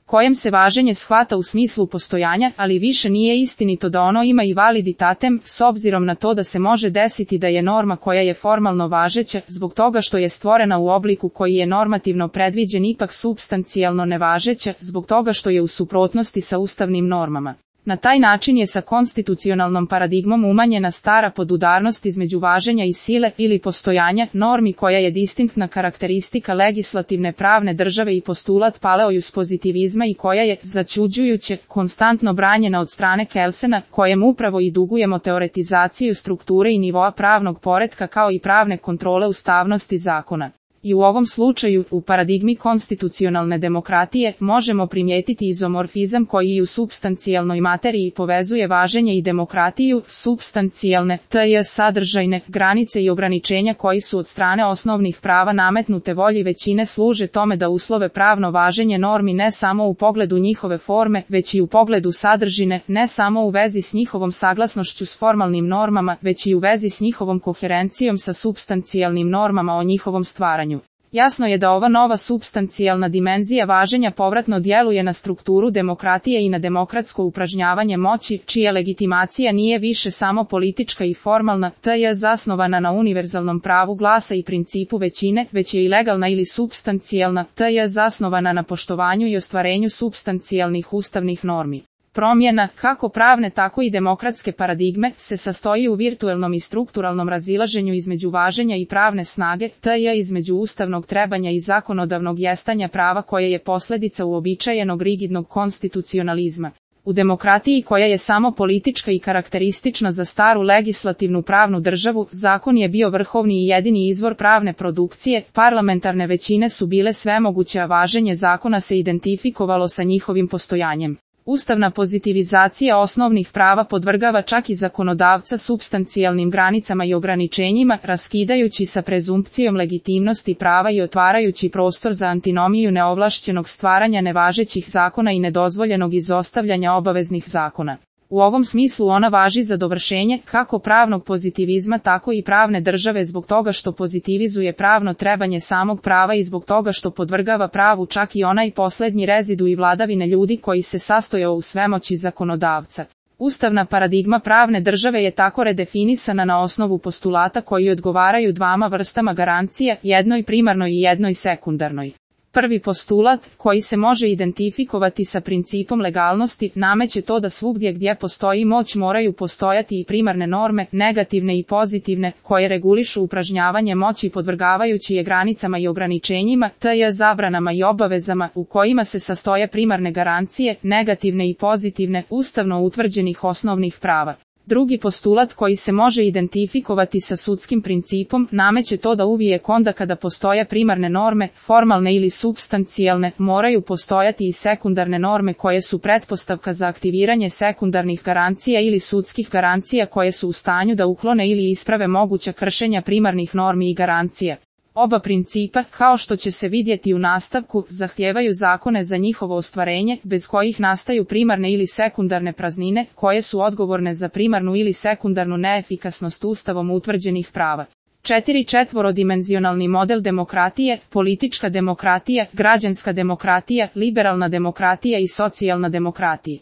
kojem se važenje shvata u smislu postojanja, ali više nije istinito da ono ima i validitatem, s obzirom na to da se može desiti da je norma koja je formalno važeća, zbog toga što je stvorena u obliku koji je normativno predviđen, ipak supstancijalno nevažeća, zbog toga što je u suprotnosti sa ustavnim normama. Na taj način je sa konstitucionalnom paradigmom umanjena stara podudarnost između važenja i sile ili postojanja normi, koja je distinktna karakteristika legislativne pravne države i postulat paleojus pozitivizma i koja je, začuđujuće, konstantno branjena od strane Kelsena, kojem upravo i dugujemo teoretizaciju strukture i nivoa pravnog poretka kao i pravne kontrole ustavnosti zakona. I u ovom slučaju, u paradigmi konstitucionalne demokratije, možemo primijetiti izomorfizam koji i u supstancijalnoj materiji povezuje važenje i demokratiju, supstancijalne, tj. sadržajne, granice i ograničenja koji su od strane osnovnih prava nametnute volji većine služe tome da uslove pravno važenje normi ne samo u pogledu njihove forme, već i u pogledu sadržine, ne samo u vezi s njihovom saglasnošću s formalnim normama, već i u vezi s njihovom koherencijom sa supstancijalnim normama o njihovom stvaranju. Jasno je da ova nova supstancijalna dimenzija važenja povratno djeluje na strukturu demokratije i na demokratsko upražnjavanje moći, čija legitimacija nije više samo politička i formalna, te je zasnovana na univerzalnom pravu glasa i principu većine, već je i legalna ili supstancijalna, te je zasnovana na poštovanju i ostvarenju supstancijalnih ustavnih normi. Promjena, kako pravne tako i demokratske paradigme, se sastoji u virtuelnom i strukturalnom razilaženju između važenja i pravne snage, te je između ustavnog trebanja i zakonodavnog jestanja prava koje je posljedica uobičajenog rigidnog konstitucionalizma. U demokratiji koja je samo politička i karakteristična za staru legislativnu pravnu državu, zakon je bio vrhovni i jedini izvor pravne produkcije, parlamentarne većine su bile svemoguće, a važenje zakona se identifikovalo sa njihovim postojanjem. Ustavna pozitivizacija osnovnih prava podvrgava čak i zakonodavca supstancijalnim granicama i ograničenjima, raskidajući sa prezumpcijom legitimnosti prava i otvarajući prostor za antinomiju neovlašćenog stvaranja nevažećih zakona i nedozvoljenog izostavljanja obaveznih zakona. U ovom smislu ona važi za dovršenje kako pravnog pozitivizma tako i pravne države, zbog toga što pozitivizuje pravno trebanje samog prava i zbog toga što podvrgava pravu čak i onaj posljednji rezidu i vladavine ljudi koji se sastojao u svemoći zakonodavca. Ustavna paradigma pravne države je tako redefinisana na osnovu postulata koji odgovaraju dvama vrstama garancija, jednoj primarnoj i jednoj sekundarnoj. Prvi postulat, koji se može identifikovati sa principom legalnosti, nameće to da svugdje gdje postoji moć moraju postojati i primarne norme, negativne i pozitivne, koje regulišu upražnjavanje moći podvrgavajući je granicama i ograničenjima, te je zabranama i obavezama, u kojima se sastoje primarne garancije, negativne i pozitivne, ustavno utvrđenih osnovnih prava. Drugi postulat koji se može identifikovati sa sudskim principom nameće to da uvijek onda kada postoje primarne norme, formalne ili supstancijalne, moraju postojati i sekundarne norme koje su pretpostavka za aktiviranje sekundarnih garancija ili sudskih garancija koje su u stanju da uklone ili isprave moguća kršenja primarnih normi i garancija. Oba principa, kao što će se vidjeti u nastavku, zahtijevaju zakone za njihovo ostvarenje, bez kojih nastaju primarne ili sekundarne praznine, koje su odgovorne za primarnu ili sekundarnu neefikasnost ustavom utvrđenih prava. 4. Četvorodimenzionalni model demokratije, politička demokratija, građanska demokratija, liberalna demokratija i socijalna demokratija.